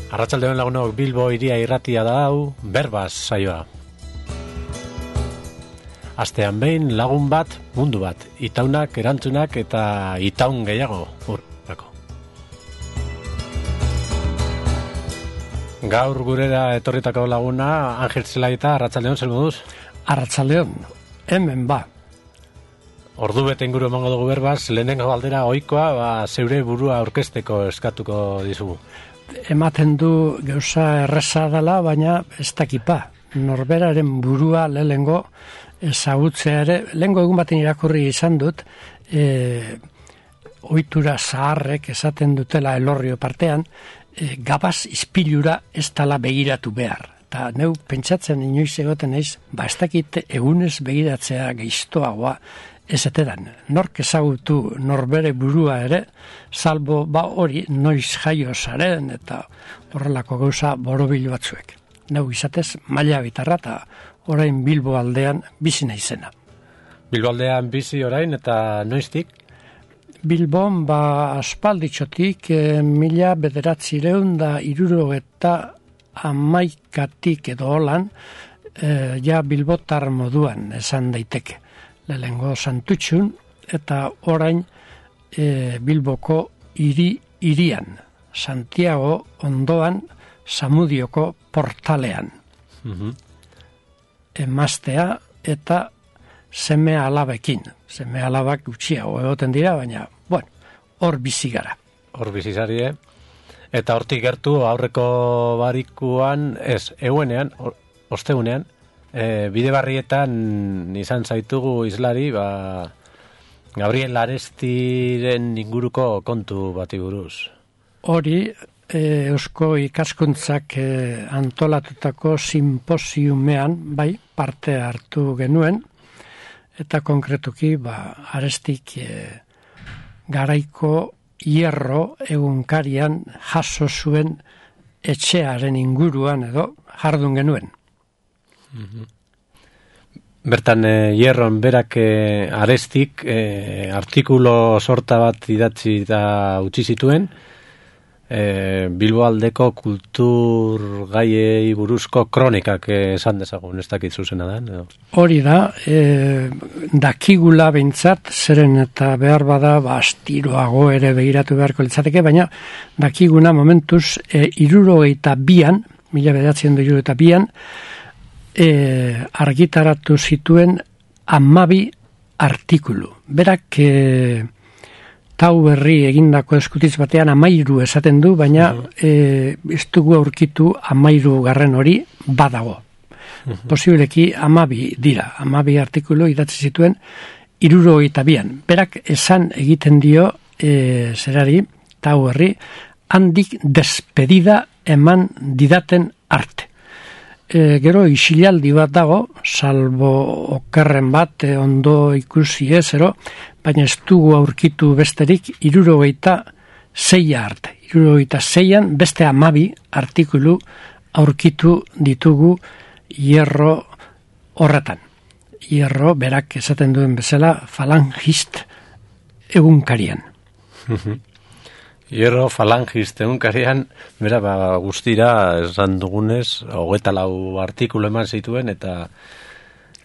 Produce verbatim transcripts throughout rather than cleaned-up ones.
Arratsaldeon lagunok, Bilbo hiria irratia da hau, Berbaz saioa. Astean behin lagun bat, mundu bat, itaunak, erantzunak eta itaun gehiago urrako. Gaur gurera etorritako laguna, Angel Zelaita, arratsaldeon, zer moduz? Arratsaldeon, hemen ba. Ordu bete inguru emango dugu Berbaz, lehenengo galdera ohikoa, ba, zeure burua aurkezteko eskatuko dizugu. Ematen du gauza erreza dela, baina ez dakipa. Norberaren burua lehengo ezagutzea ere, lehengo egun baten irakurri izan dut, e, ohitura zaharrek esaten dutela elorrio partean, e, gabaz ispilura ez dela begiratu behar. Eta neu pentsatzen inoiz egoten naiz, ba ez dakit egunez begiratzea geiztoagoa, ez etedan, nork ezagutu norbere burua ere, salbo ba hori noiz jaio zaren eta horrelako gauza borobil batzuek. Neu izatez, maila bitarra eta orain Bilbo aldean bizi naizena. Bilbo aldean bizi orain eta noiztik? Bilbon ba aspalditxotik e, mila bederatzireun da iruro eta amaikatik edo holan, e, ja Bilbotar moduan esan daiteke. Lehengo Santutxun eta orain e, Bilboko hiri hirian, Santiago ondoan Samudioko portalean. Mm-hmm. Emaztea eta seme alabekin. Seme alabak gutxiago egoten dira, baina, bueno, hor bizi gara. Hor bizi zarie. Eta hortik gertu aurreko barikuan, ez, euenean, osteunean, E, bide barrietan izan zaitugu islari, ba, Gabriel Arestiren inguruko kontu bati buruz. Hori, e, Eusko Ikaskuntzak e, antolatutako simposiumean, bai, parte hartu genuen, eta konkretuki, ba, Arestik e, garaiko hierro egunkarian jaso zuen etxearen inguruan edo jardun genuen. Bertan e, hierron berak e, Arestik e, artikulo sorta bat idatzi eta utzi zituen e, Bilbo aldeko kultur gaiei buruzko kronikak esan dezagun, ez dakit zuzena da. Edo? Hori da, e, dakigula behintzat, zeren eta behar bada ba, astiroago ere begiratu beharko litzateke, baina dakiguna momentuz e, hirurogeita bian, mila bederatziehun eta hirurogeita bian, E, argitaratu zituen hamabi artikulu. Berak e, tau berri egindako eskutitz batean hamairu esaten du, baina e, ez dugu aurkitu hamairu garren hori badago. Uh-huh. Posibileki hamabi dira, hamabi artikulu idatzi zituen hirurogeita bian. Berak esan egiten dio e, zerari, tau berri, handik despedida eman didaten arte. E, gero isilaldi bat dago, salbo okerren bat, e, ondo ikusi ezero, baina ez dugu aurkitu besterik hirurogeita seia arte. Hirurogeita seian beste hamabi artikulu aurkitu ditugu hierro horretan. Hierro, berak esaten duen bezala, falangist egunkarian. Hierro falangist egunkarian, bera, ba, guztira, esan dugunez, hogeita lau artikulu eman zituen, eta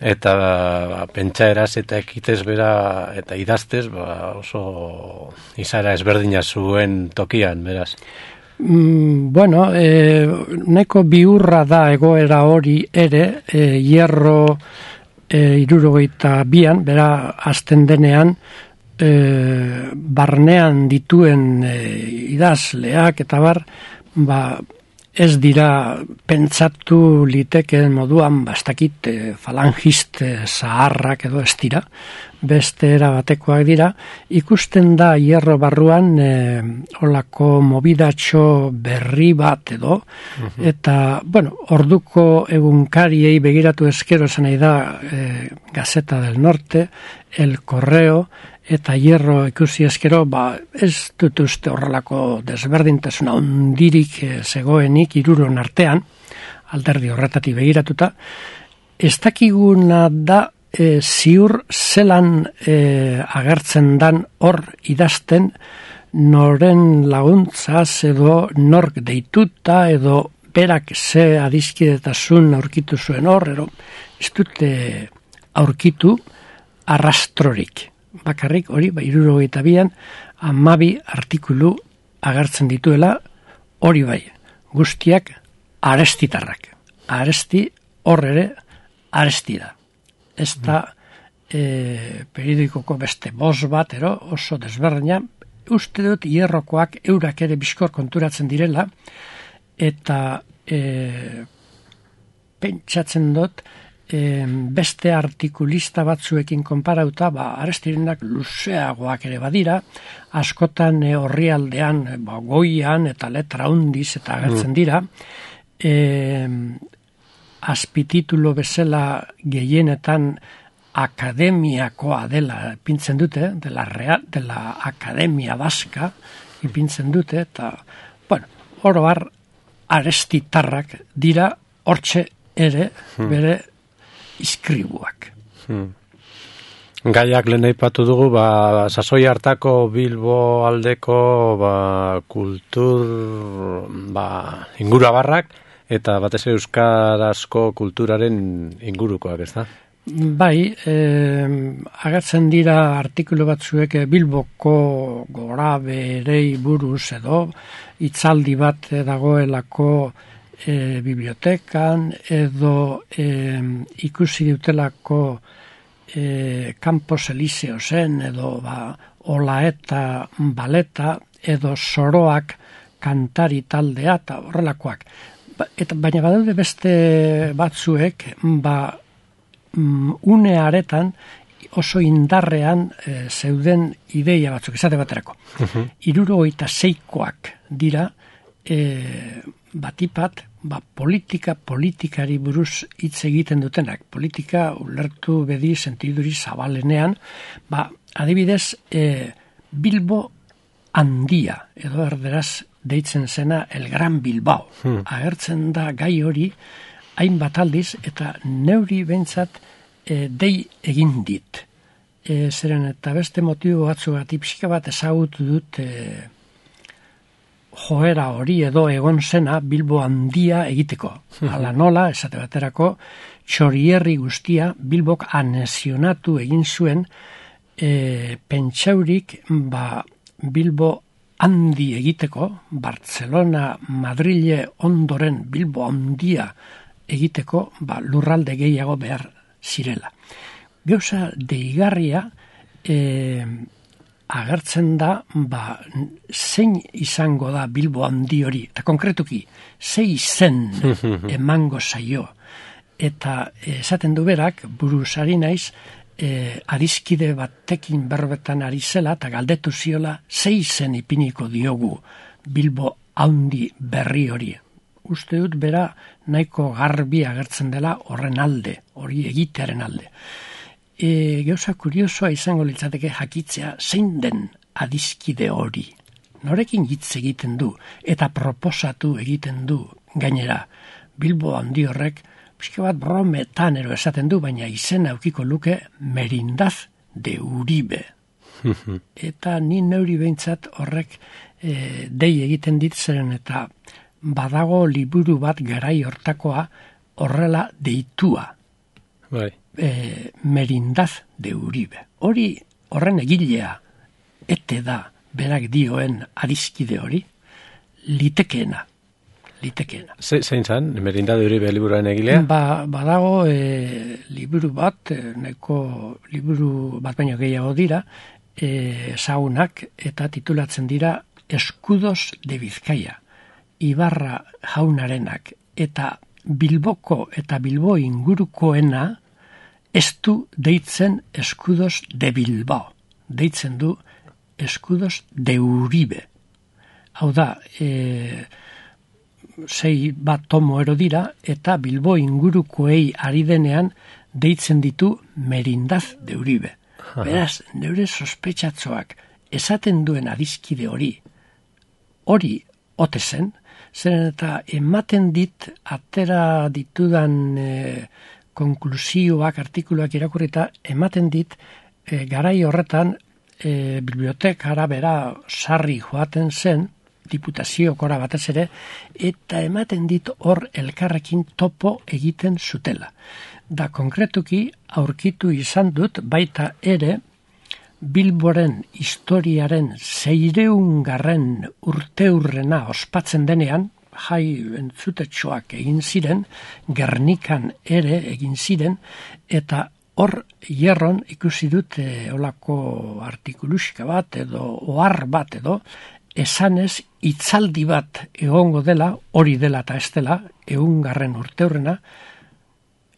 eta ba, pentsa eraz eta ekitez bera, eta idaztez, ba, oso izara ezberdina zuen tokian, beraz. Mm, bueno, e, neko biurra da egoera hori ere, e, hierro e, hirurogeita bian, bera, azten denean, E, barnean dituen e, idazleak eta bar, ba, ez dira pentsatu litekeen moduan bastakit e, falangist e, zaharrak edo ez dira, beste era batekoak dira, ikusten da hierro barruan e, olako mobidatxo berri bat edo, uh-huh. Eta, bueno, orduko egunkariei begiratu ezkero esan nahi da e, Gazeta del Norte, El Correo, eta hierro ikusi ezkero, ba, ez dut uste horrelako desberdintasuna ondirik e, zegoenik hiruron artean, alderdi horretatik begiratuta, ez dakiguna da e, ziur zelan e, agertzen dan hor idazten noren laguntzaz edo nork deituta edo berak ze adiskidetasun aurkitu zuen hor, ero ez dute aurkitu arrastrorik. Bakarrik hori, ba, hirurogeita bian, hamabi artikulu agertzen dituela, hori bai, guztiak arestitarrak. Aresti hor ere aresti da. Ez da e, periodikoko beste boz bat, ero, oso desberdina, uste dut hierrokoak eurak ere bizkor konturatzen direla, eta e, pentsatzen dut e, beste artikulista batzuekin konparauta, ba, arestirenak luzeagoak ere badira, askotan e, orrialdean, ba, goian eta letra hundiz eta agertzen dira, e, azpititulo bezala gehienetan akademiakoa dela ipintzen dute, dela, real, dela akademia baska ipintzen dute, eta, bueno, oro har arestitarrak dira hortxe ere bere iskribuak. Hmm. Gaiak lehen aipatu dugu, ba, sasoi hartako Bilbo aldeko ba, kultur ba, ingurabarrak, eta batez ere euskarazko kulturaren ingurukoak, ez da? Bai, eh, agertzen dira artikulu batzuek Bilboko gora berei buruz edo hitzaldi bat dagoelako eh, bibliotekan edo eh, ikusi dutelako eh, Campos Elíseosen edo ba, Olaeta baleta edo Soroak kantari taldea eta horrelakoak. Ba, eta, baina badaude beste batzuek ba, une aretan oso indarrean e, zeuden ideia batzuk, esate baterako. Uh-huh. Hirurogeita seikoak dira e, batipat ba, politika politikari buruz hitz egiten dutenak. Politika ulertu bedi sentiduri zabalenean, ba, adibidez e, Bilbo handia, edo erderaz deitzen zena El Gran Bilbao. Hmm. Agertzen da gai hori hainbat aldiz, eta neuri behintzat e, dei egin dit. E, zeren eta beste motibo batzugatik pixka bat ezagutu dut e, joera hori edo egon zena Bilbo handia egiteko. Hala nola, esate baterako, txorierri guztia Bilbok anexionatu egin zuen e, pentsaurik ba, Bilbo handi egiteko, Barcelona, Madrile ondoren Bilbo handia egiteko ba, lurralde gehiago behar zirela. Gauza deigarria e, agertzen da ba, zein izango da Bilbo handi hori, eta konkretuki, zei zen emango zaio. Eta esaten du berak, buruz ari naiz, e, adiskide batekin berbetan ari zela, eta galdetu ziola, zei zen ipiniko diogu Bilbo handi berri hori. Uste dut bera nahiko garbi agertzen dela horren alde, hori egitearen alde. E, gauza kuriosoa izango litzateke jakitzea zein den adiskide hori. Norekin hitz egiten du eta proposatu egiten du gainera. Bilbo handi horrek, pixka bat brometan ero esaten du, baina izena aukiko luke Merindaz de Uribe. Eta ni neuri behintzat horrek e, dei egiten ditzeren eta badago liburu bat garai hortakoa horrela deitua. Bai. E, Merindaz de Uribe. Hori horren egilea ete da berak dioen adiskide hori litekeena. Litekeena. Zein zan, Merindaz de Uribe liburuaren egilea? Ba, badago e, liburu bat, e, neko liburu bat baino gehiago dira, e, saunak eta titulatzen dira Eskudos de Bizkaia. Ibarra jaunarenak eta Bilboko eta Bilbo ingurukoena ez du deitzen Eskudos de Bilbao. Deitzen du Eskudos de Uribe. Hau da, e, sei bat tomo ero dira eta Bilbo ingurukoei ari denean deitzen ditu Merindaz de Uribe. Beraz, neure sospetsatzoak esaten duen adiskide hori, hori ote zen, zeren eta ematen dit atera ditudan e, konklusioak, artikuluak irakurrita, ematen dit e, garai horretan e, bibliotekara bera sarri joaten zen, diputaziokora batez ere, eta ematen dit hor elkarrekin topo egiten zutela. Da konkretuki aurkitu izan dut baita ere Bilboren historiaren seireungarren urteurrena ospatzen denean, jai entzutetxoak egin ziren, Gernikan ere egin ziren, eta hor hierron ikusi dut e, olako artikulusika bat edo ohar bat edo, esanez hitzaldi bat egongo dela, hori dela eta ez dela, ehungarren urteurrena,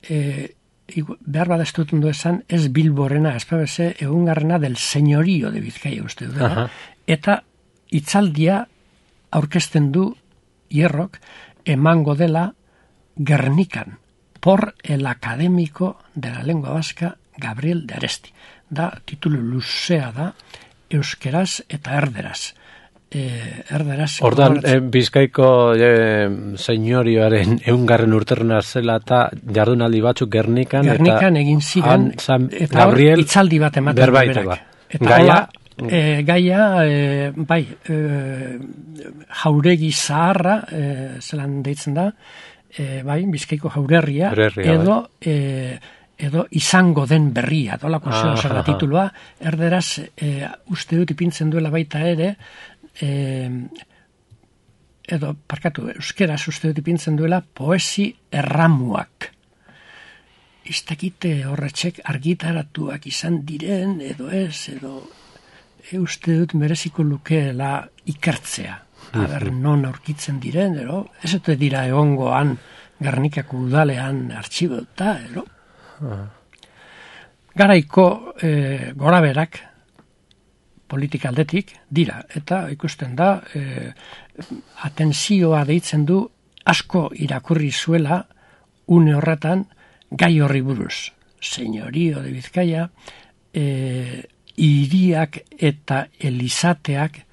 e, behar bada ez dut ondo esan, ez Bilborena, ez pabese, ehungarrena del señorío de Bizkaia uste dut, eta hitzaldia aurkezten du hierrok, emango dela Gernikan, por el académico de la lengua vasca Gabriel de Aresti. Da, titulu luzea da, euskeraz eta erderaz. Eh, erderaz. Ordan, eh, Bizkaiko eh, señorioaren eungarren urterrena zela eta jardunaldi batzuk Gernikan. Gernikan eta egin ziren, San, eta hor hitzaldi bat ematen berak. Ba. Eta gaia, hola, e, gaia e, bai, e, jauregi zaharra, e, zelan deitzen da, e, bai, Bizkaiko jaurerria, Jaurerria, edo... Bai. E, edo izango den berria, dolako zeo zer da titulua, erderaz, e, uste dut ipintzen duela baita ere, e, edo, parkatu, euskeraz uste dut ipintzen duela, poesi erramuak. Iztakite horretxek argitaratuak izan diren, edo ez, edo e, uste dut mereziko lukeela ikertzea. Aber, non aurkitzen diren, edo, ez dut dira egongoan Gernikako udalean artxibota, edo, garaiko e, goraberak politika aldetik dira, eta ikusten da e, atentzioa deitzen du asko irakurri zuela une horretan gai horri buruz. Señorío de Bizkaia, e, iriak eta elizateak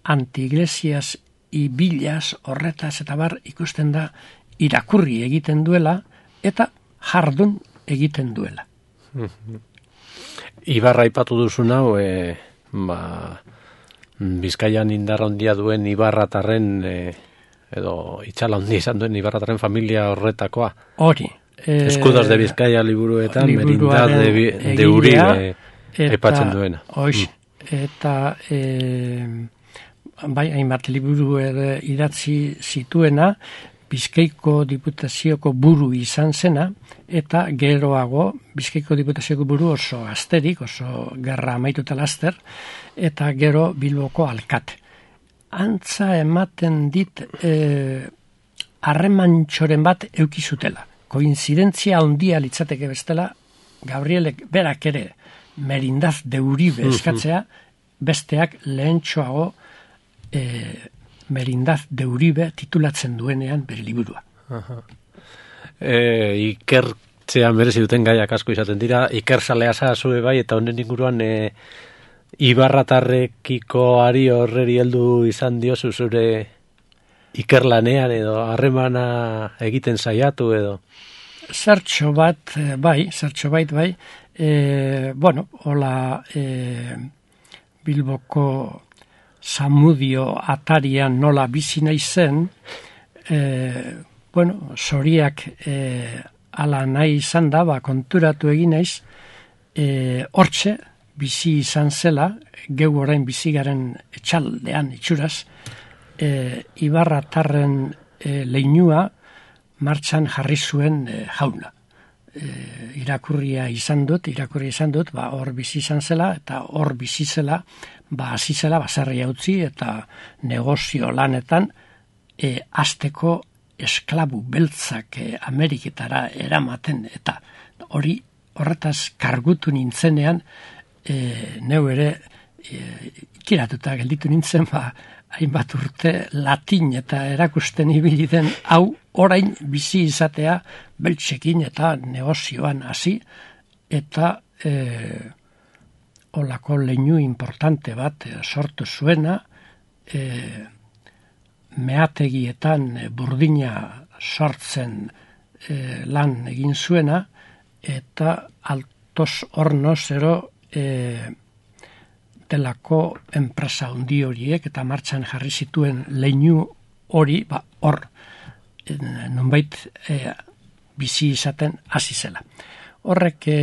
antiiglesias ibilaz horretaz eta bar ikusten da irakurri egiten duela eta jardun egiten duela. Ibarra aipatu duzu nau, e, ba, Bizkaian indarra handia duen Ibarratarren, e, edo itxala handia izan duen Ibarratarren familia horretakoa. Hori. E, Eskudos de Bizkaia liburuetan, Merindad de, de Uribe aipatzen duena. Hoiz, eta e, bai, hainbat liburu ere idatzi zituena, Bizkaiko Diputazioko buru izan zena, eta geroago Bizkaiko Diputazioko buru oso gazterik, oso gerra amaituta laster, eta gero Bilboko alkate. Antza ematen dit harremantxoren bat eukizutela. Koinzidentzia handia litzateke bestela, Gabrielek berak ere Merindad de Uribe eskatzea, besteak lehentxoago e, Merindad de Uribe titulatzen duenean bere liburua. E, ikertzean berezi duten gaiak asko izaten dira, ikerzalea zazue bai, eta honen inguruan e, Ibarratarrekiko ari horreri heldu izan diozu zure ikerlanean edo harremana egiten saiatu edo? Zertxo bat, bai, zertxo bait, bai, e, bueno, hola e, Bilboko Zamudio atarian nola bizi naizen, e, bueno, zoriak e, ala nahi izan da, ba, konturatu egin naiz, e, hortxe, bizi izan zela, geu orain bizigaren etxaldean itxuraz, e, Ibarratarren e, leinua martxan jarri zuen e, jauna. E, irakurria izan dut, irakurria izan dut, ba, hor bizi izan zela, eta hor bizi zela, ba, hasi zela, baserria utzi, eta negozio lanetan, e, azteko esklabu beltzak e, Ameriketara eramaten, eta hori horretaz kargutu nintzenean, e, neu ere, e, ikiratuta gelditu nintzen, ba, hainbat urte latin eta erakusten ibili den hau orain bizi izatea beltsekin eta negozioan hasi eta e, olako leinu importante bat e, sortu zuena, e, meategietan e, burdina sortzen e, lan egin zuena eta Altos Hornos ero e, delako enpresa handi horiek eta martxan jarri zituen leinu hori, ba, hor, nonbait e, bizi izaten hasi zela. Horrek e,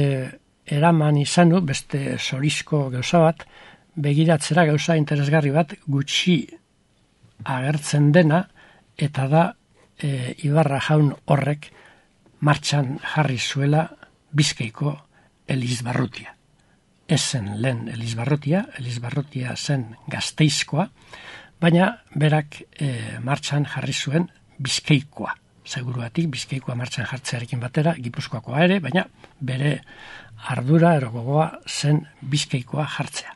eraman izanu, beste zorizko gauza bat, begiratzera gauza interesgarri bat gutxi agertzen dena, eta da e, Ibarra jaun horrek martxan jarri zuela Bizkaiko Elizbarrutia. Ez zen lehen Elizbarrutia, Elizbarrutia zen Gasteizkoa, baina berak e, martxan jarri zuen Bizkaikoa. Seguruatik Bizkaikoa martxan jartzearekin batera, Gipuzkoakoa ere, baina bere ardura erogogoa zen Bizkaikoa jartzea.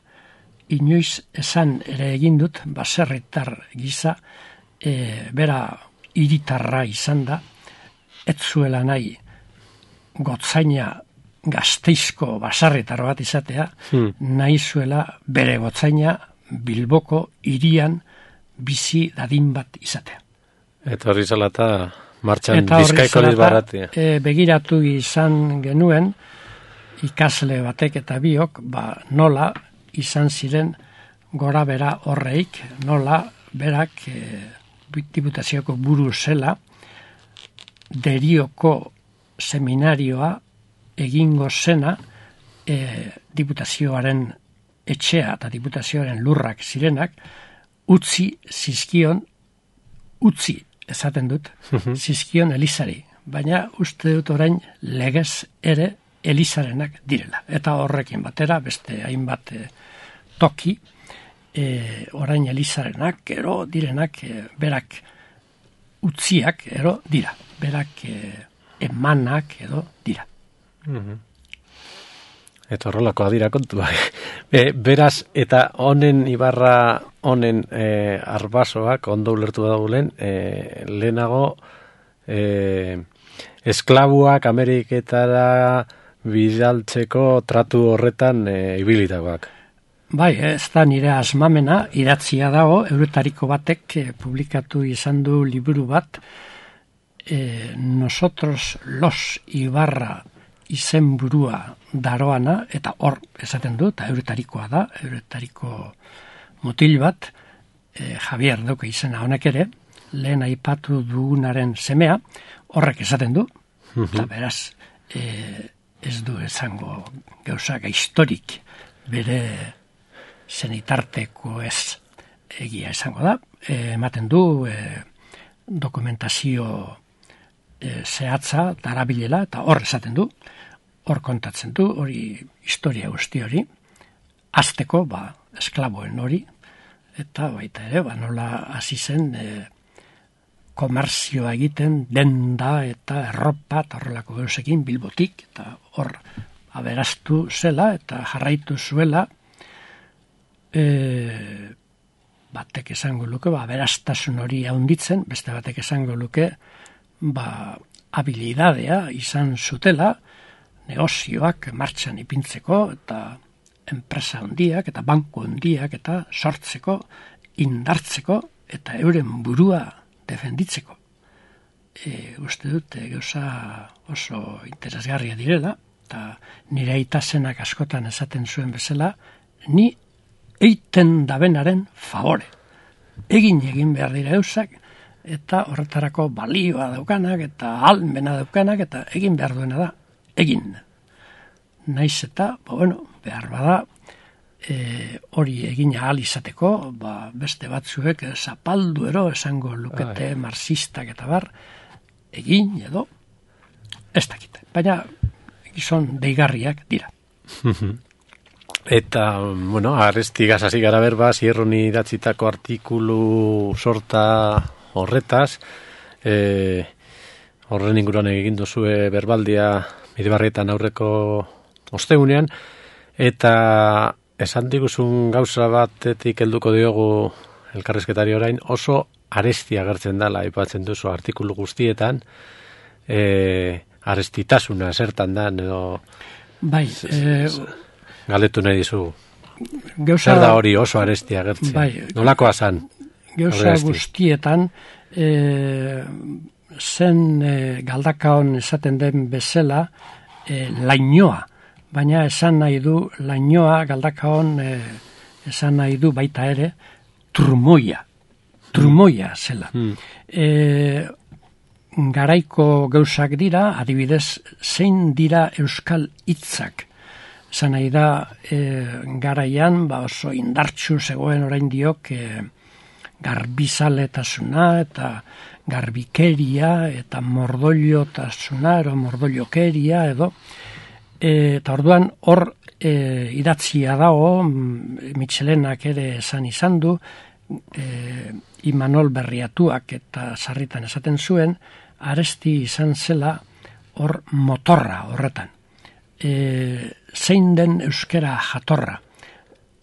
Inoiz esan ere egin dut, baserritar gisa, e, bera hiritarra izan da, ez zuela nahi gotzaina Gasteizko baserritar bat izatea, hmm. nahi zuela bere gotzaina Bilboko hirian bizi dadin bat izatea. Eta horri zalata martxan Bizkaiko Elizbarrutia. E, begiratu izan genuen ikasle batek eta biok, ba, nola izan ziren gora bera horreik, nola berak e, diputazioko buru zela Derioko seminarioa egingo zena e, diputazioaren etxea eta diputazioaren lurrak zirenak utzi zizkion, utzi esaten dut, zizkion Elizari, baina uste dut orain legez ere Elizarenak direla. Eta horrekin batera, beste hainbat e, toki, e, orain Elizarenak, ero direnak, e, berak utziak, ero dira. Berak e, emanak, edo dira. Mm-hmm. Eta horrelako adira kontua. E, beraz, eta honen Ibarra, honen e, arbasoak, ondo ulertu dagoen, e, lehenago e, esklabuak Ameriketara bidaltzeko tratu horretan e, ibilitakoak. Bai, ez da nire asmamena, idatzia dago, euretariko batek e, publikatu izan du liburu bat, e, nosotros los Ibarra izen burua daroana, eta hor esaten du, eta euretarikoa da, euretariko mutil bat, e, Javier dauka izena honek ere, lehen aipatu dugunaren semea, horrek esaten du, eta beraz, e, ez du esango gauzak historik bere zenitarteko ez egia esango da, e, ematen du e, dokumentazio e, zehatza darabilela, eta hor esaten du, hor kontatzen du, hori historia guzti hori, azteko, ba, esklaboen hori, eta baita ere, ba, nola hasi zen e, komerzioa egiten, denda eta erropa, eta horrelako gauzekin Bilbotik, eta hor aberastu zela, eta jarraitu zuela, e, batek esango luke, ba, aberastasun hori haunditzen, beste batek esango luke, ba, habilidadea izan zutela, negozioak martxan ipintzeko, eta enpresa handiak, eta banku handiak, eta sortzeko, indartzeko, eta euren burua defenditzeko. E, uste dut, e, gauza oso interesgarria direla, eta nire aitasenak askotan esaten zuen bezala, ni eiten dabenaren favore. Egin egin behar dira eusak, eta horretarako balioa daukanak, eta almena daukanak, eta egin behar duena da, egin. Naiz eta, ba, bueno, behar bada, e, hori egin ahal izateko, ba, beste batzuek zapaldu ero esango lukete Ai. Marxistak eta bar, egin edo, ez dakite. Baina, gizon deigarriak dira. Eta, bueno, Arestigaz hasi gara berba, Zierroni idatzitako artikulu sorta horretaz, e, horren inguruan egin duzue berbaldia Bidebarrietan aurreko ostegunean, eta esan diguzun gauza batetik helduko diogu elkarrizketari orain, oso arestia agertzen dela, aipatzen duzu artikulu guztietan, e, arestitasuna zertan da, edo bai, e, galetu nahi dizu. Gauza, zer da hori oso arestia agertzen? Bai, nolakoa zan? Gauza guztietan, e, zen e, galdakaon esaten den bezala e, lainoa, baina esan nahi du lainoa galdakaon e, esan nahi du baita ere trumoia, trumoia zela. Mm. E, garaiko gauzak dira, adibidez, zein dira euskal hitzak. Esan nahi da, e, garaian, ba oso indartsu zegoen orain diok, e, garbizaletasuna eta garbikeria eta mordoliotasuna, ero mordoliokeria edo, e, eta orduan hor e, idatzia dago, Mitxelenak ere esan izan du, e, Imanol Berriatuak eta sarritan esaten zuen, Aresti izan zela hor motorra horretan. E, zein den euskera jatorra?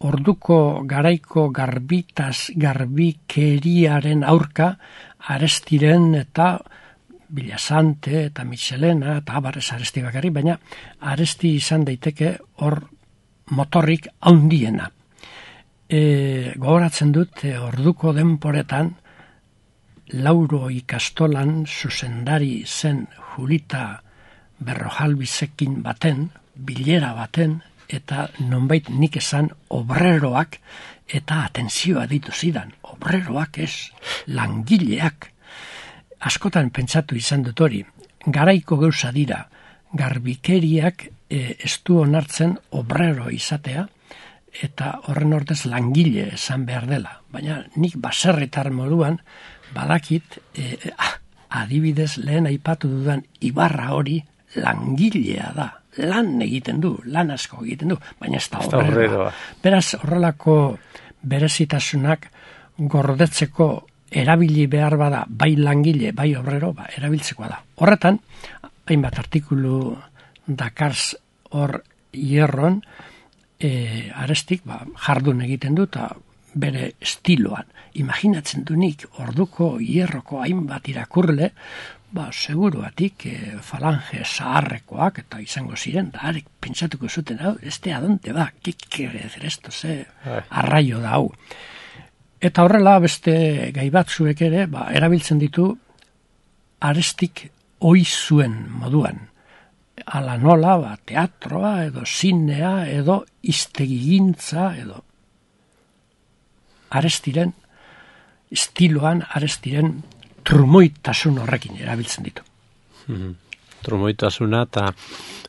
Orduko garaiko garbitaz, garbikeriaren aurka, Arestiren eta Bilasante eta Mitxelena eta abarrez Aresti bakarri, baina Aresti izan daiteke hor motorrik haundiena. E, gogoratzen dut, e, orduko denporetan, Lauro ikastolan zuzendari zen Julita Berrojalbizekin baten, bilera baten, eta nonbait nik esan obreroak eta atentzioa ditu zidan. Obreroak ez, langileak. Askotan pentsatu izan dut hori, garaiko gauza dira, garbikeriak e, ez du onartzen obrero izatea, eta horren ordez langile esan behar dela. Baina nik baserritar moduan, badakit, e, adibidez lehen aipatu dudan ibarra hori langilea da. Lan egiten du, lan asko egiten du, baina ez da obreroa. Beraz, horrelako berezitasunak gordetzeko erabili behar bada, bai langile, bai obrero, ba, erabiltzekoa da. Horretan, hainbat artikulu dakarz hor hierron, e, Arestik ba, jardun egiten du, eta bere estiloan. Imaginatzen du nik, orduko hierroko hainbat irakurle, ba, seguruatik e, falange zaharrekoak eta izango ziren, da arek pentsatuko zuten, hau, este adonte ba, kik kere zer esto, ze arraio da hau. Eta horrela beste gai batzuek ere, ba, erabiltzen ditu Arestik ohi zuen moduan. Ala nola, ba, teatroa edo zinea edo iztegigintza edo Arestiren estiloan, Arestiren trumoitasun horrekin erabiltzen ditu. Mm-hmm. Trumoitasuna eta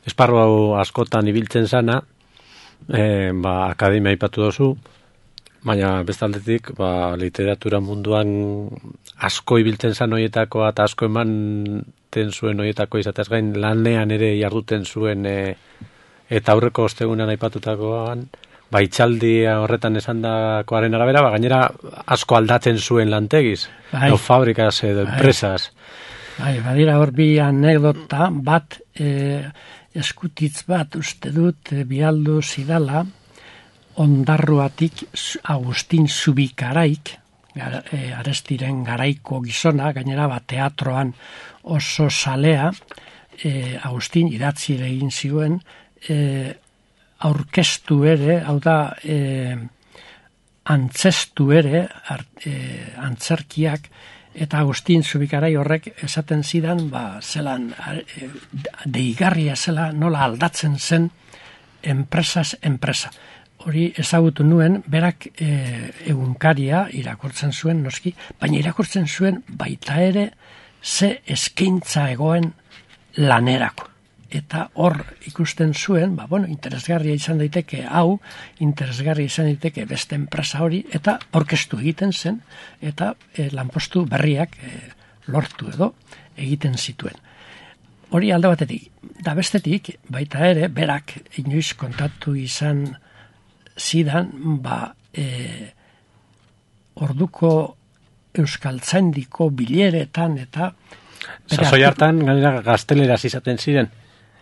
esparru hau askotan ibiltzen zana, e, ba, akademia aipatu dozu, baina bestaldetik ba, literatura munduan asko ibiltzen zan horietakoa eta asko emanten zuen horietako izatez gain lanean ere jarduten zuen e, eta aurreko ostegunan aipatutakoan, ba, itxaldia horretan esandakoaren arabera, ba, gainera asko aldatzen zuen lantegiz, bai, no fabrikaz edo enpresas. Bai, badira hor bi anekdota bat, e, eskutitz bat uste dut e, bialdu zidala, Ondarruatik Agustin Zubikaraik, gara, e, Arestiren garaiko gizona, gainera bat teatroan oso salea, e, Agustin idatzi ere egin zioen, e, aurkeztu ere, hau da, e, antzestu ere, art, e, antzerkiak, eta Agustin Zubikarai horrek esaten zidan, ba, zelan, e, deigarria zela, nola aldatzen zen, enpresaz enpresa. Hori ezagutu nuen, berak e, egunkaria irakurtzen zuen, noski, baina irakurtzen zuen baita ere ze eskaintza egoen lanerako. Eta hor ikusten zuen, ba, bueno, interesgarria izan daiteke hau, interesgarria izan daiteke beste enpresa hori, eta orkestu egiten zen, eta e, lanpostu berriak e, lortu edo egiten zituen. Hori alde batetik, da bestetik, baita ere, berak inoiz kontatu izan zidan, ba, e, orduko euskaltzaindiko bileretan eta... Sasoi hartan, gainera, gazteleraz izaten ziren,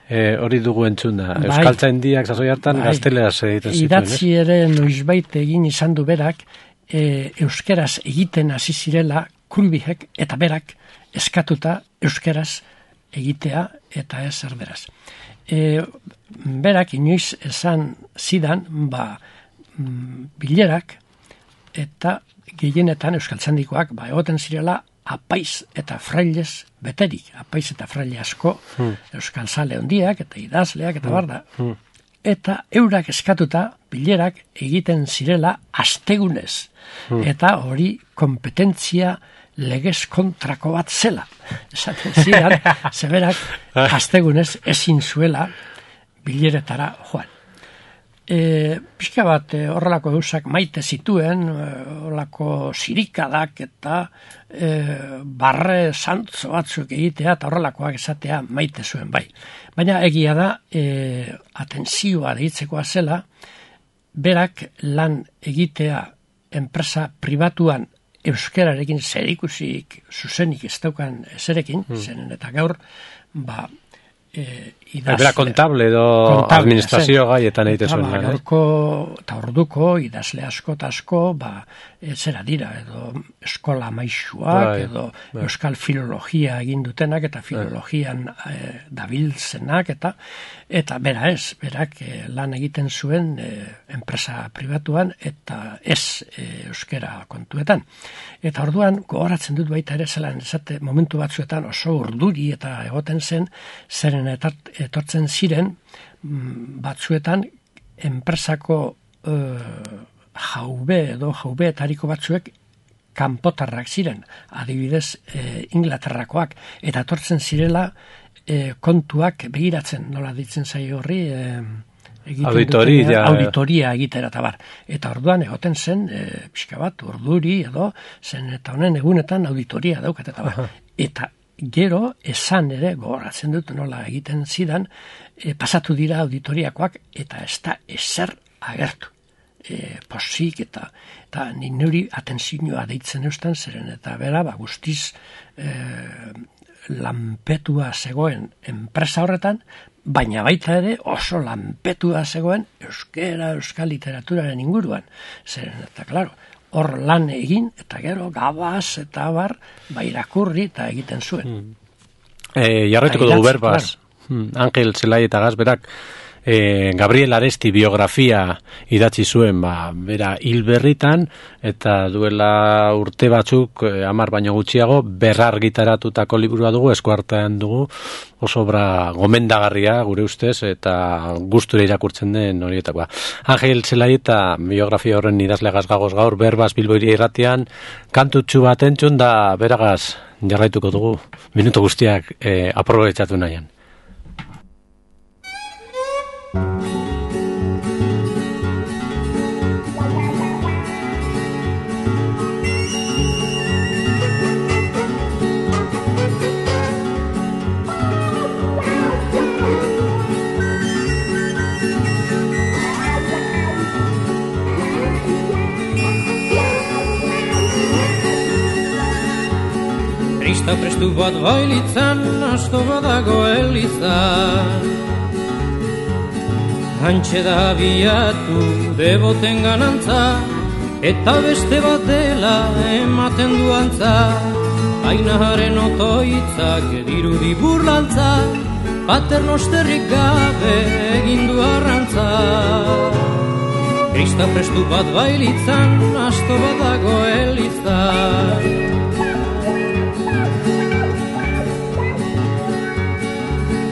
e, hori dugu entzuna. Bai, euskaltzaindiak sasoi hartan bai, gazteleraz egiten zituen. Idatzi ere noizbait egin izan du berak, e, euskeraz egiten hasi zirela Krubihek eta berak eskatuta euskeraz egitea eta ez erderaz. E, berak inoiz esan zidan, ba, bilerak eta gehienetan euskaltzandikoak ba, egoten zirela apaiz eta frailez beterik, apaiz eta fraile asko hmm. euskaltzale hondiak eta idazleak eta hmm. barda. Hmm. eta eurak eskatuta bilerak egiten zirela astegunez. Hmm. Eta hori kompetentzia legez kontrako bat zela. Esaten ziren, zeberak astegunez ezin zuela bileretara joan. E, pixka bat e, horrelako eusak maite zituen, e, horrelako sirikadak eta e, barre santzo batzuk egitea eta horrelakoak esatea maite zuen bai. Baina egia da, e, atentzioa deitzekoa zela, berak lan egitea enpresa pribatuan euskararekin zerikusiik zuzenik ez daukan zerekin, hmm. zenen eta gaur, ba, e, idazle... Bera kontable edo kontable, administrazio gaietan egite zuen. Ba, gaurko eta orduko idazle asko eta asko, ba, e, zera dira, edo eskola maixuak, bai, edo bai. Euskal filologia egin dutenak, eta filologian bai. e, dabiltzenak, eta eta bera ez, berak e, lan egiten zuen e, enpresa pribatuan, eta ez e, euskera kontuetan. Eta orduan, gogoratzen dut baita ere zelan, esate, momentu batzuetan oso urduri eta egoten zen, zeren eta etortzen ziren batzuetan enpresako e, jaube edo jaubeetariko batzuek kanpotarrak ziren, adibidez e, Inglaterrakoak, eta etortzen zirela e, kontuak begiratzen, nola ditzen zaio horri, e, auditoria, duten, auditoria egitera eta bar. Eta orduan egoten zen, e, pixka bat, urduri edo, zen eta honen egunetan auditoria daukat eta bar. Eta gero, esan ere, gogoratzen dut nola egiten zidan, e, pasatu dira auditoriakoak eta ez da ezer agertu. E, posik eta eta niri atentzioa deitzen eustan zeren eta bera, ba, guztiz e, lanpetua zegoen enpresa horretan, baina baita ere oso lanpetua zegoen euskera, euskal literaturaren inguruan. Zeren eta, klaro, hor lan egin, eta gero gabaz eta bar, ba irakurri eta egiten zuen. Hmm. E, jarraituko dugu berbaz, claro. hmm. Angel Zelai eta Gazberak, e, Gabriel Aresti biografia idatzi zuen, ba, bera hil berritan, eta duela urte batzuk, e, hamar baino gutxiago, berrargitaratutako liburua dugu, eskuartean dugu, oso obra gomendagarria gure ustez, eta gustura irakurtzen den horietakoa. Angel Zelai eta biografia horren idazle gazgagoz gaur, berbaz Bilboiri irratian, kantutxu bat entzun da beragaz jarraituko dugu, minutu guztiak e, aprobetxatu nahian. Krista prestu bat bailitzan, asto badago elizan. Hantxe da biatu deboten ganantza, eta beste bat dela ematen duantza. Ainaharen otoitzak dirudi burlantza, paternosterrik gabe egin du arrantza. Krista prestu bat bailitzan, asto badago elizan.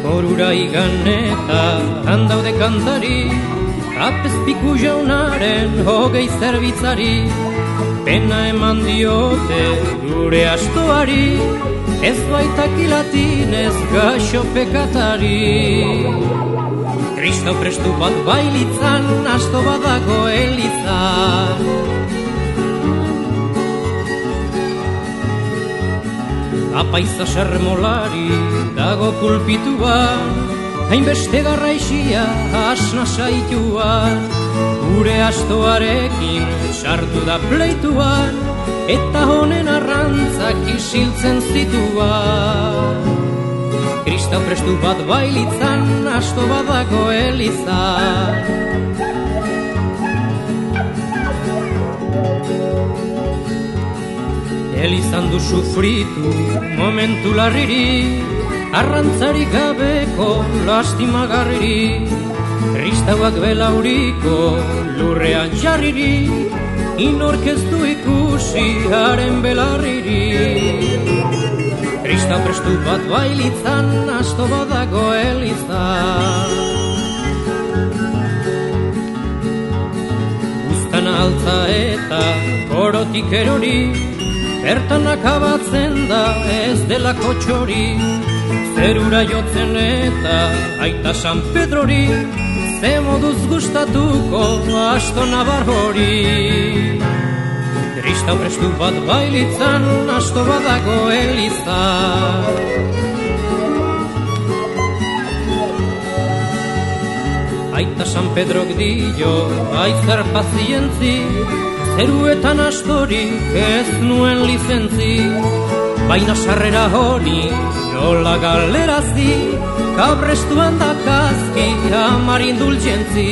Horura igan eta handaude kantari, apezpiku jaunaren hogei zerbitzari, pena eman diote gure astoari, ez baitak ilatinez gaxo pekatari. Kristo prestu bat bailitzan, asto badago elizan. Apaiza sermolari dago pulpituan, hainbeste garraixia asna saituan, gure astoarekin sartu da pleituan, eta honen arrantzak isiltzen zituan. Kristau prestu bat bailitzan, asto badago elizan. Elizan du sufritu momentu larriri, arrantzarik gabeko lastimagarriri, kristauak belauriko lurrean jarriri, inork ez du ikusi haren belarriri. Kristau prestu bat bailitzan, asto badago elizan. altza eta korotik erori, bertan akabatzen da ez delako txori, zerura jotzen eta aita San Pedrori, ze moduz gustatuko asto nabar hori. Kristau prestu bat bailitzan, asto badago eliza. Aita San Pedrok dio, aizar pazientzi, zeruetan astorik ez nuen lizentzi, baina sarrera hori nola galerazi, kabrestuan dakazki amar indulgentzi.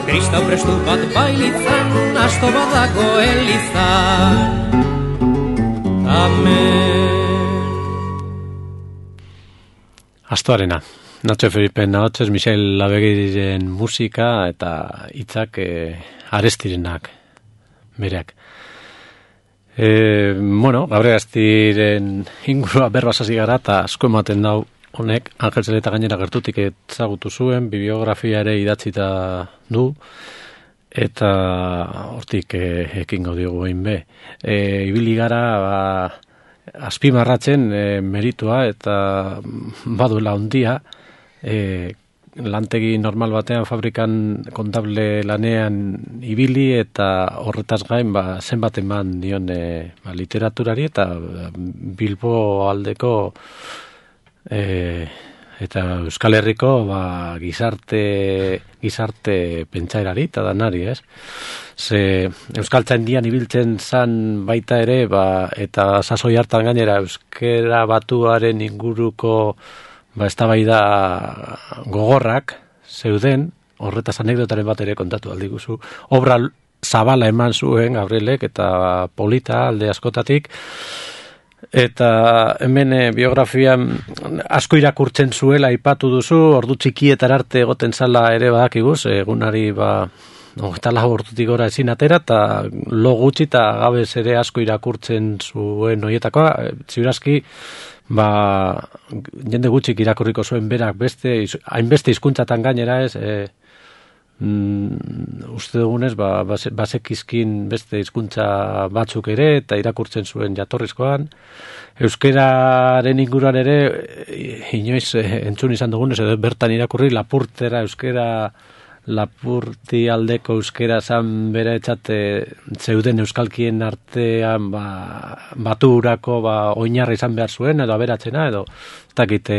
Kristau prestu bat bailitzan, asto badago elizan. Amen. Astoarena. Nacho Felipe Nahotzez, Michel Labegiren musika eta hitzak e, arestirenak bereak. E, bueno, Gabregaztiren ingurua berbasasi gara eta asko ematen dau honek, Angel Zeleta gainera gertutik ezagutu zuen, bibliografia ere idatzita du, eta hortik e, ekin gaudiogu egin be. E, ibili gara, ba, azpimarratzen e, meritua eta baduela ondia, E, lantegi normal batean fabrikan kontable lanean ibili eta horretaz gain ba, zenbat eman dion e, ba, literaturari eta Bilbo aldeko e, eta Euskal Herriko ba, gizarte gizarte pentsaerari eta danari, ez? Ze Euskaltzaindian ibiltzen zan baita ere ba, eta sasoi hartan gainera euskera batuaren inguruko ba, eztabaida gogorrak zeuden, horretaz anekdotaren bat ere kontatu aldiguzu. Obra zabala eman zuen Gabrielek eta polita alde askotatik, eta hemen biografian asko irakurtzen zuela aipatu duzu, ordu txikietar arte egoten zala ere badakiguz, egunari ba, eta lau ordutik gora ezin atera, eta lo gutxi eta gabez ere asko irakurtzen zuen horietakoa, ziurazki, ba, jende gutxik irakurriko zuen berak beste, hainbeste hizkuntzatan gainera ez, e, mm, uste dugunez, ba, basekizkin beste hizkuntza batzuk ere, eta irakurtzen zuen jatorrizkoan. Euskeraren inguruan ere, inoiz entzun izan dugunez, edo bertan irakurri Lapurtera euskera, Lapurti aldeko euskera zan bere etxate zeuden euskalkien artean ba, baturako ba, oinarri izan behar zuen, edo aberatzena, edo ez dakite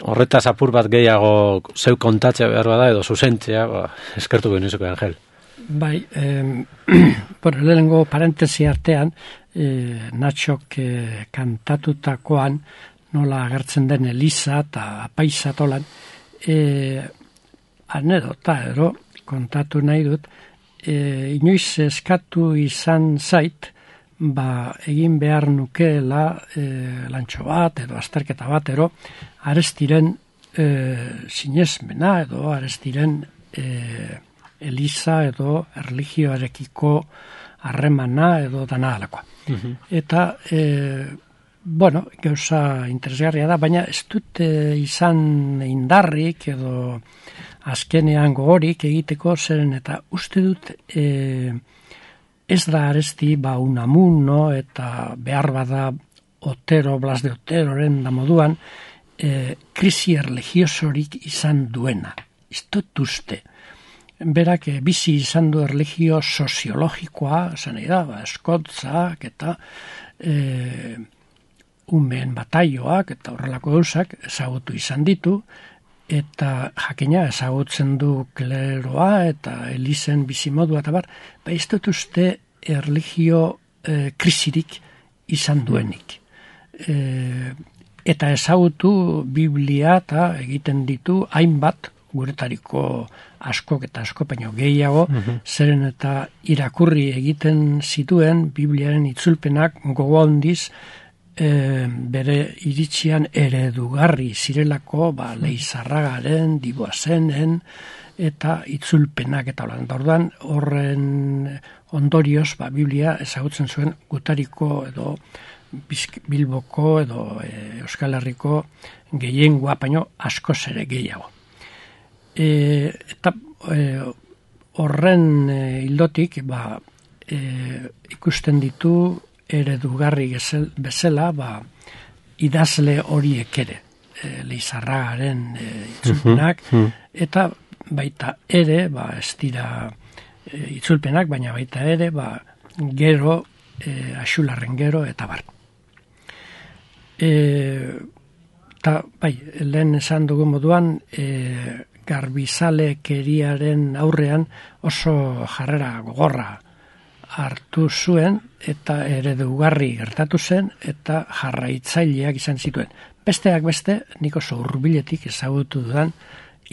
horretaz apur bat gehiago zeu kontatzea behar bada, edo zuzentzea, ba, eskertu genizeko Angel. Bai, eh, bueno, lehenengo parentesi artean, eh, Natxok eh, kantatutakoan nola agertzen den Eliza eta Apaisa tolan, eh, anedota ero kontatu nahi dut, e, inoiz eskatu izan zait, ba, egin behar nukeela e, lantxo bat edo azterketa bat ero, Arestiren e, sinesmena edo Arestiren e, Eliza edo erlijioarekiko harremana edo dana alakoa. Uh-huh. Eta, e, bueno, gauza interesgarria da, baina ez dut e, izan indarrik edo azkenean gogorik egiteko zeren eta uste dut e, ez da Aresti ba Unamuno eta behar bada Otero, Blas de Oteroren da moduan e, krisi erligiosorik izan duena. Ez dut uste. Berak e, bizi izan du erligio soziologikoa, esan nahi da, ba, eskotzak eta e, umeen bataioak eta horrelako gauzak ezagutu izan ditu, eta jakina ezagutzen du kleroa eta Elizen bizimodua eta bar, ba ez dut uste erligio e, krisirik izan duenik. E, eta ezagutu Biblia eta egiten ditu hainbat guretariko askok eta asko baino gehiago, uh-huh. zeren eta irakurri egiten zituen Bibliaren itzulpenak gogo handiz E, bere iritsian eredugarri zirelako ba, Leizarragaren, Diboazenen eta itzulpenak eta holan. Orduan horren ondorioz ba, Biblia ezagutzen zuen gutariko edo Bilboko edo e, Euskal Herriko gehiengoa baino askoz ere gehiago. E, eta e, horren e, ildotik, ba, e, ikusten ditu eredugarri bezala, ba, idazle horiek ere, e, Leizarragaren e, itzulpenak, eta baita ere, ba, ez dira e, itzulpenak, baina baita ere, ba, gero, e, Axularren gero, eta bar. E, eta, bai, lehen esan dugu moduan, e, garbizalekeriaren aurrean oso jarrera gogorra hartu zuen, eta eredugarri gertatu zen, eta jarraitzaileak izan zituen. Besteak beste, nik oso hurbiletik ezagutu dudan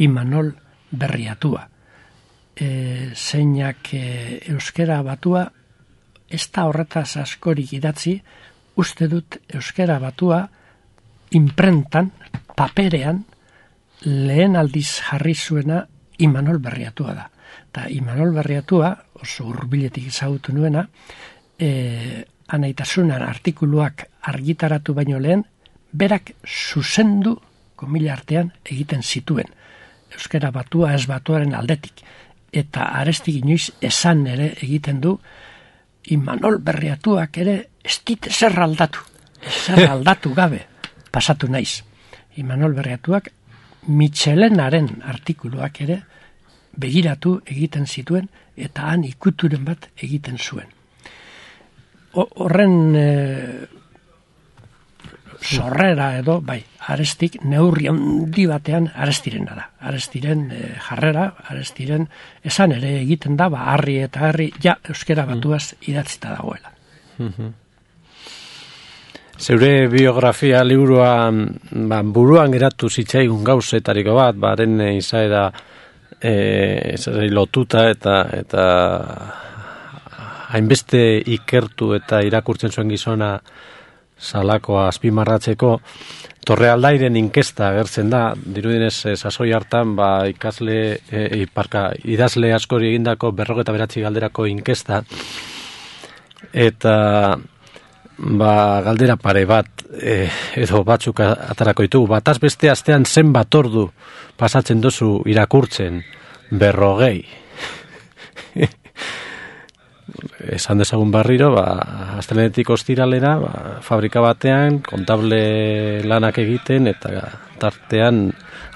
Imanol Berriatua. E, zeinak e, euskera batua, ez da horretaz askorik idatzi, uste dut euskera batua imprentan, paperean, lehen aldiz jarri zuena Imanol Berriatua da. Eta Imanol Berriatua, oso hurbiletik ezagutu nuena, e, anaitasunan artikuluak argitaratu baino lehen, berak zuzendu, komila artean, egiten zituen. Euskara batua ez batuaren aldetik. Eta arestik inoiz esan ere egiten du, Imanol Berriatuak ere ez dit ezer aldatu. Ezer aldatu gabe pasatu naiz. Imanol Berriatuak Michelenaren artikuluak ere begiratu egiten zituen eta han ikuturen bat egiten zuen. Horren e, sorrera edo, bai, Arestik neurri handi batean Arestirena da. Arestiren e, jarrera, Arestiren esan ere egiten da, ba, harri eta harri, ja, euskera batuaz idatzita dagoela. Mhm. Zeure biografia liburua ba, buruan geratu zitzaigun gauzetariko bat, baren izaera e, lotuta eta eta hainbeste ikertu eta irakurtzen zuen gizona salakoa azpimarratzeko, Torrealdairen inkesta agertzen da, dirudinez sasoi hartan ba, ikasle, e, parka, idazle askori egindako berrogeta beratzi galderako inkesta, eta ba, galdera pare bat e, edo batzuk atarako ditugu. Bataz beste astean zenbat ordu pasatzen duzu irakurtzen? Berrogei. Esan dezagun barriro, ba, astelenetik ostiralera, ba, fabrika batean, kontable lanak egiten, eta tartean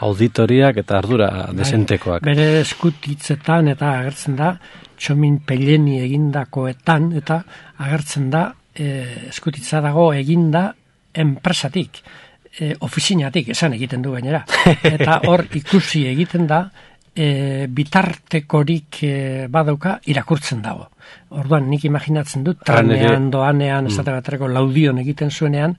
auditoriak eta ardura desentekoak. Bere eskutitzetan eta agertzen da, Txomin Pelleni egindakoetan, eta agertzen da, E, eskutitza dago eginda enpresatik, e, ofizinatik esan egiten du gainera. Eta hor ikusi egiten da e, bitartekorik e, badauka irakurtzen dago. Orduan nik imaginatzen dut trenean doanean, mm. esate baterako laudion egiten zuenean,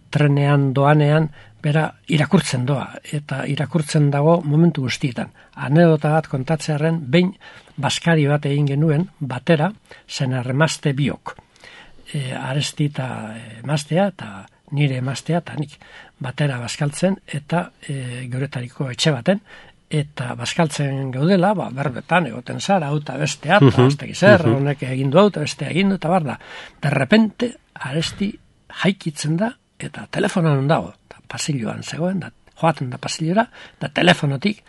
trenean doanean bera irakurtzen doa, eta irakurtzen dago momentu guztietan. Anedota bat kontatzearen, behin baskari bat egin genuen batera, zen arremazte biok. E, Aresti eta emaztea eta nire emaztea eta nik batera baskaltzen eta e, geuretariko etxe baten eta baskaltzen gaudela, ba, berbetan egoten zara, hau eta bestea, eta uh-huh. azteki zer, uh-huh. honek egin du hau eta bestea egin du, eta bar da. De repente, Aresti jaikitzen da eta telefonan dago, eta pasilloan zegoen, da, joaten da pasillora, da telefonotik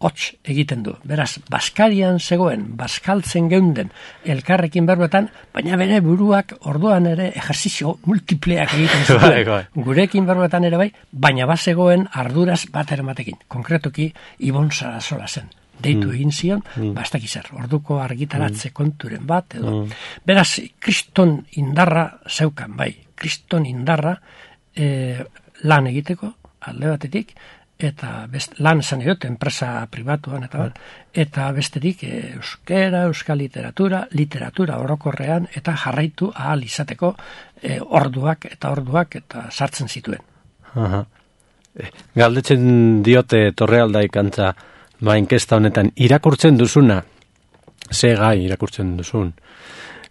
hots egiten du. Beraz, baskarian zegoen, baskaltzen geunden elkarrekin berbetan, baina bere buruak orduan ere ejerzizio multipleak egiten zuen. Gurekin berbetan ere bai, baina bazegoen arduraz bat eramatekin. Konkretuki, Ibon Sarasola zen. Deitu mm. egin zion, mm. bastak izar, orduko argitaratze mm. konturen bat, edo. Mm. Beraz, kriston indarra zeukan, bai, kriston indarra e, lan egiteko, alde batetik, eta best, lan esan edot, enpresa pribatuan, eta, eta bestetik e, euskera, euskal literatura, literatura orokorrean, eta jarraitu ahal izateko e, orduak eta orduak eta sartzen zituen. Aha. Galdetzen diote Torrealdaik antza, ba, inkesta honetan, irakurtzen duzuna, ze gai irakurtzen duzun.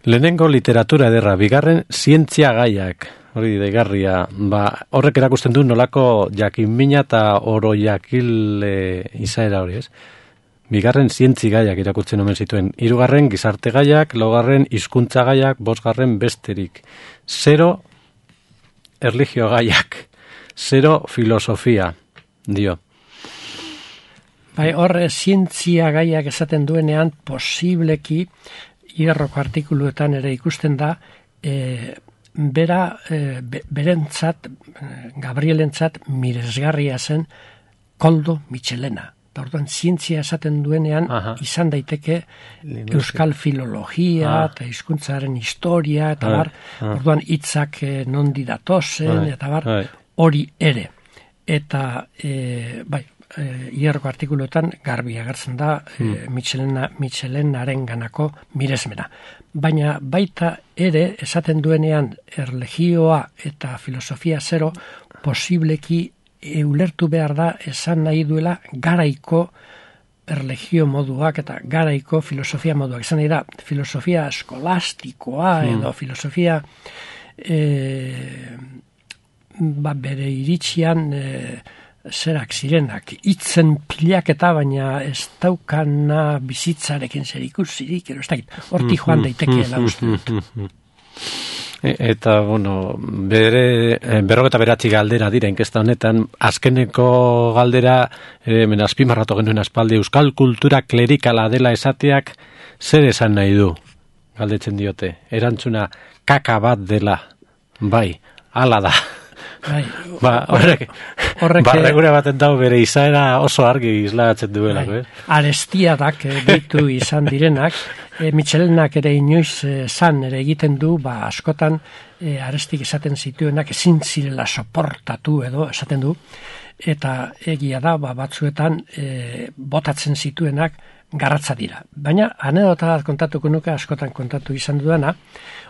Lehenengo literatura ederra, bigarren zientzia gaiak, hori deigarria, ba, horrek erakusten du nolako jakinmina eta oro jakile izaera hori, ez? Bigarren zientzi gaiak irakurtzen omen zituen. Hirugarren gizarte gaiak, laugarren hizkuntza gaiak, bosgarren besterik. Zero erlijio gaiak. Zero filosofia, dio. Bai, hor zientzia gaiak esaten duenean posibleki hierroko artikuluetan ere ikusten da e, bera e, be, berentzat Gabrielentzat miresgarria zen Koldo Mitxelena. Eta orduan zientzia esaten duenean Aha. izan daiteke Linguistik. Euskal filologia ah. eta hizkuntzaren historia eta ah. bar, ah. orduan hitzak eh, nondi datozen ah. eta bar, hori ere. Eta e, bai, e, hierroko artikuluetan garbi agertzen da hmm. e, Mitxelena, Mitxelenaren ganako miresmena. Baina baita ere esaten duenean erlegioa eta filosofia zero posibleki E, ulertu behar da esan nahi duela garaiko erlegio moduak eta garaiko filosofia moduak. Esan nahi da filosofia eskolastikoa mm. edo filosofia e, ba, bere iritsian e, zerak zirenak. Itzen pilaketa baina ez daukana bizitzarekin zer ikusirik, ez dakit, horti joan daitekeela uste dut. Eta, bueno, bere, berrogeta beratzi galdera dira inkesta honetan, azkeneko galdera, e, men azpimarratu genuen aspaldi, euskal kultura klerikala dela esateak, zer esan nahi du, galdetzen diote, erantzuna kaka bat dela, bai, hala da. Bai, ba, horrek, horrek barregura baten dago bere izaera oso argi islagatzen duela. Bai, eh? Arestiadak ditu izan direnak, e, Mitxelenak ere inoiz e, zan ere egiten du, ba, askotan e, arestik esaten zituenak ezin zirela soportatu edo esaten du, eta egia da, ba, batzuetan e, botatzen zituenak garratza dira. Baina, anedota bat kontatuko nuke, askotan kontatu izan dudana,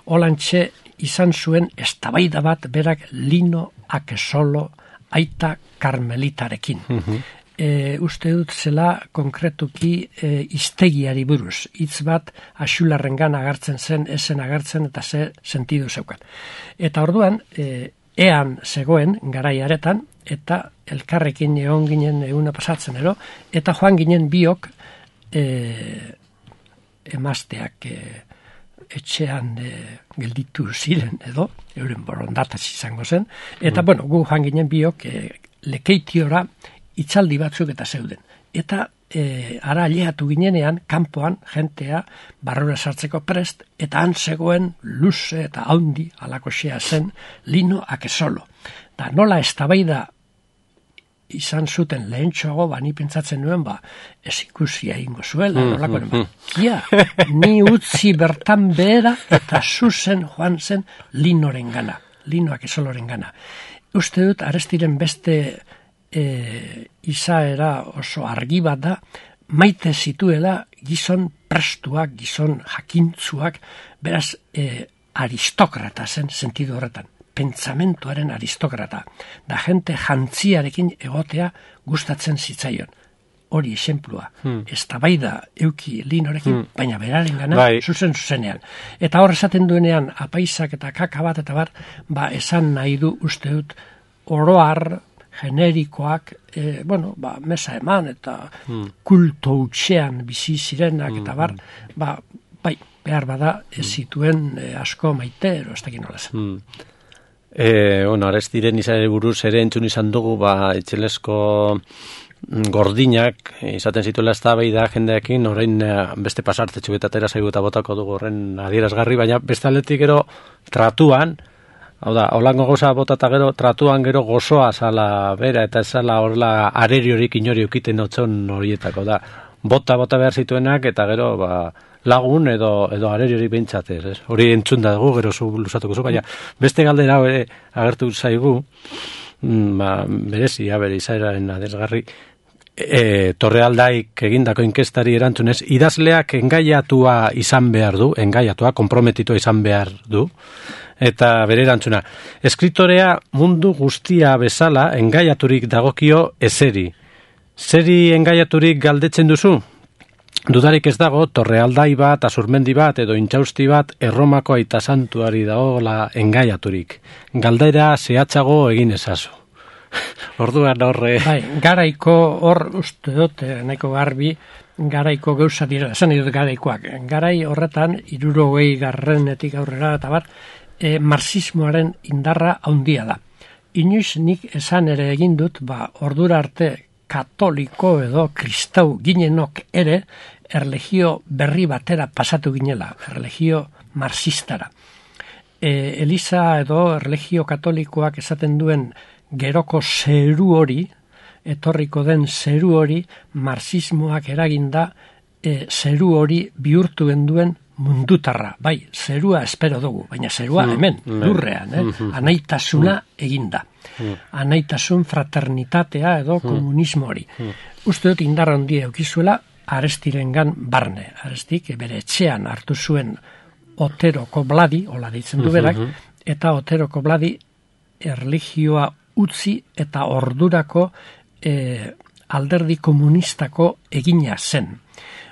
holantxe izan zuen eztabaida bat berak Lino Akesolo aita karmelitarekin. Uh-huh. E, uste dut zela konkretuki e, iztegiari buruz. Hitz bat Axularrengan agertzen zen, esen agertzen eta ze sentidu zeukan. Eta orduan, e, ean zegoen garaiaretan, eta elkarrekin egon ginen eguna pasatzen ero, eta joan ginen biok e, emazteak e, etxean e, gelditu ziren edo, euren borondataz izango zen, eta mm. bueno, gu joan ginen biok e, lekeitiora itzaldi batzuk eta zeuden. Eta e, ara aleatu ginenean, kanpoan, jentea, barrura sartzeko prest, eta han zegoen luze eta haundi alakoxea zen Lino Akesolo. Da nola eztabaida izan zuten lehentxoago, ba, ni pentsatzen nuen, ba, ez ikusia ingo zuela, mm, nolakoen, ba, ja, ni utzi bertan behera, eta zuzen joan zen Linoren gana, Lino Akesoloren gana. Uste dut, Arestiren beste e, izaera oso argi bat da, maite zituela gizon prestuak, gizon jakintzuak, beraz, e, aristokrata zen sentidu horretan. Pentsamentuaren aristokrata, da gente jantziarekin egotea gustatzen zitzaion. Hori esenplua, hmm. eztabaida euki Linorekin, hmm. baina beraren gana bai. zuzen zuzenean. Eta hor esaten duenean apaisak eta kaka bat eta bar, ba esan nahi du uste dut oroar generikoak, e, bueno, ba, mesa eman eta hmm. kulto utxean bizi zirenak hmm. eta bar, ba, bai, behar bada ez zituen e, asko maite, ero ez dakin nola zen. Hmm. E, bueno, Arestiren izan buruz ere entzun izan dugu, ba, etxelesko gordinak izaten zituela eztabaida jendeekin, orain beste pasartetxu eta atera zaigu eta botako dugu horren adierazgarri, baina beste aldetik gero tratuan, hau da, holango goza botata gero, tratuan gero gozoa zala bera, eta zala horrela areriorik inori ukiten otzon horietako da. Bota, bota behar zituenak, eta gero, ba, lagun edo edo areriori bentsatez, ez? Hori entzun da dugu, gero zu luzatuko zu, baina beste galdera ere agertu zaigu, ba, berezia, bere izaeraren adesgarri, e, Torrealdaik egindako inkestari erantzunez, idazleak engaiatua izan behar du, engaiatua, konprometitua izan behar du, eta bere erantzuna, eskritorea mundu guztia bezala engaiaturik dagokio ezeri. Zeri engaiaturik galdetzen duzu? Dudarik ez dago, Torrealdai bat, Azurmendi bat, edo Intxausti bat, Erromako aita santuari dagoela engaiaturik. Galdera zehatzago egin ezazu. Orduan horre... Bai, garaiko hor, uste dut, nahiko garbi, garaiko gauza dira, esan dut garaikoak. Garai horretan, hirurogei garrenetik aurrera, eta bar, e, marxismoaren indarra handia da. Inoiz nik esan ere egin dut, ba, ordura arte katoliko edo kristau ginenok ere erlegio berri batera pasatu ginela, erlegio marxistara. E, Eliza edo erlegio katolikoak esaten duen geroko zeru hori, etorriko den zeru hori, marxismoak eraginda e, zeru hori bihurtu duen mundutarra. Bai, zerua espero dugu, baina zerua hemen, lurrean, eh? Anaitasuna eginda. Anaitasun fraternitatea edo komunismo hori. Uste dut indar handia eukizuela Arestirengan barne. Arestik bere etxean hartu zuen Otero Kobladi, hola deitzen du berak, eta Otero Kobladi erlijioa utzi eta ordurako e, alderdi komunistako egina zen.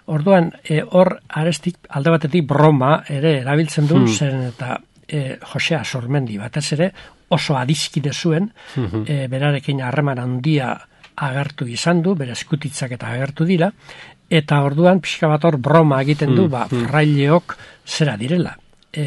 Orduan, e, hor Arestik alde batetik broma ere erabiltzen du, hmm. zen eta e, Josea Sormendi batez ere oso adiskide zuen, hmm. e, berarekin harreman handia agertu izan du, bere eskutitzak eta agertu dira, eta orduan pixka bat hor broma egiten du, hmm. ba, fraileok zera direla. E,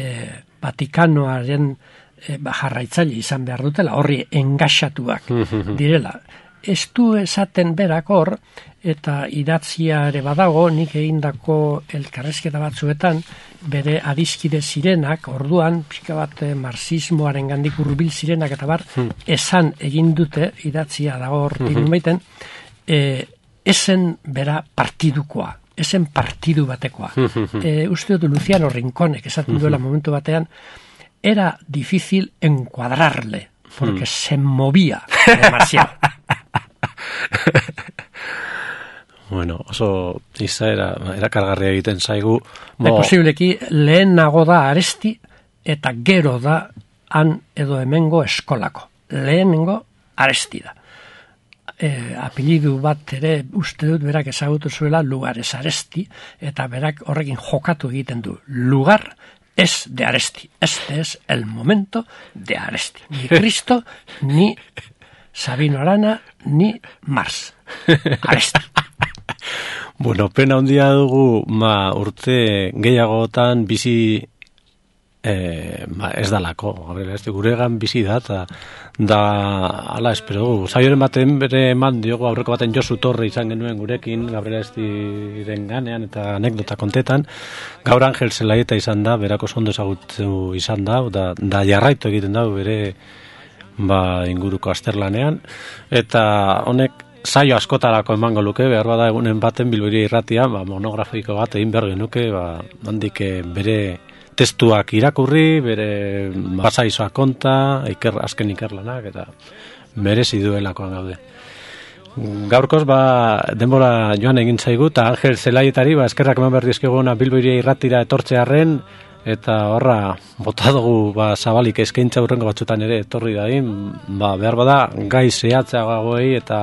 Vatikanoaren e, ba, jarraitzaile izan behar dutela, horri engaxatuak direla. Ez du esaten berak hor, eta idatzia ere badago, nik egindako elkarrezketa batzuetan, bere adiskide zirenak, orduan, pixka bat marxismoaren gandik hurbil zirenak, eta bar, hmm. esan egin dute, idatzia dago hor hmm. baiten, e, esen bera partidukoa, esen partidu batekoa. e, uste dut Luciano Rinconek esaten duela momentu batean, era difícil encuadrarle, porque hmm. se movía demasiado. Bueno, oso izaera erakargarria egiten zaigu. Bo... Posibleki lehenago da Aresti eta gero da han edo hemengo eskolako. Lehenengo Aresti da. E, apelidu bat ere uste dut berak ezagutu zuela Lugares Aresti, eta berak horrekin jokatu egiten du. Lugar es de Aresti. Este es el momento de Aresti. Ni Cristo, ni Sabino Arana, ni Mars. Aresti. Bueno, pena handia dugu, ma, urte gehiagotan bizi eh, ma, ez dalako. Gabriel, ez guregan bizi da, eta da, ala, espero dugu. Zaioren baten bere eman diogu, aurreko baten Josu Torre izan genuen gurekin, Gabriel Estiren ganean, eta anekdota kontetan. Gaur Angel Zelaieta izan da, berako ondo ezagutu izan da, da, da jarraitu egiten da, bere ba, inguruko azterlanean, eta honek saio askotarako emango luke, behar bada egunen baten Bilbiri irratia, ba, monografiko bat egin behar genuke, ba, handik bere testuak irakurri, bere basaizoak konta, iker, azken ikerlanak, eta merezi duelakoan gaude. Gaurkoz, ba, denbora joan egin zaigu, eta Angel Zelaietari, ba, eskerrak eman behar dizkiguna Bilbiri irratira etortzearren, eta horra, bota dugu ba, zabalik eskaintza hurrengo batzutan ere etorri dain, ba, behar bada gai zehatzeagoei eta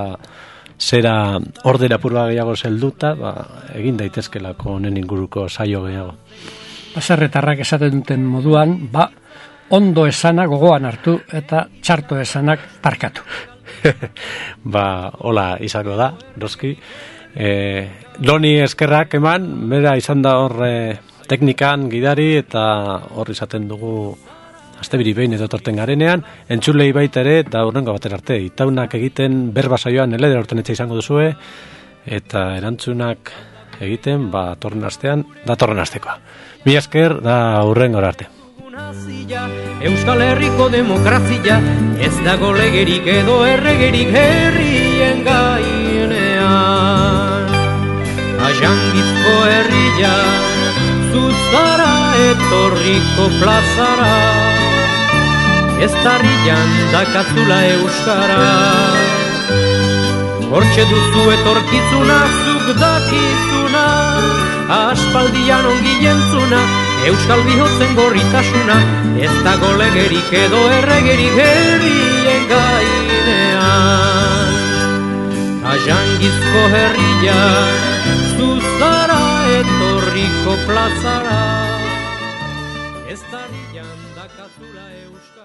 zera ordera purba gehiago zelduta, ba, egin daitezkelako honen inguruko saio gehiago. Baserretarrak esaten duten moduan, ba, ondo esana gogoan hartu eta txarto esanak parkatu. Ba, hola izango da, doski. E, Loni eskerrak eman, bera izan da hor e, teknikan gidari eta hor izaten dugu astebiri behin edo torten garenean, entzulei baita ere eta hurrengo batera arte. Itaunak egiten berba saioan eleder horten etxe izango duzue eta erantzunak egiten ba torren astean, da torren astekoa. Mi esker da hurrengo arte. Euskal Herriko demokrazia ez dago legerik edo erregerik herrien gainean. Ajangizko herria zuzara etorriko plazara, ez tarrian dakazula euskara. Hortxe duzu etorkizuna, zuk dakizuna, aspaldian ongi jentzuna, euskal bihotzen gorritasuna, ez dago legerik edo erregerik herrien gainean. Ajangizko herria zuzara etorriko plazara, ez tarrian dakazula euskara.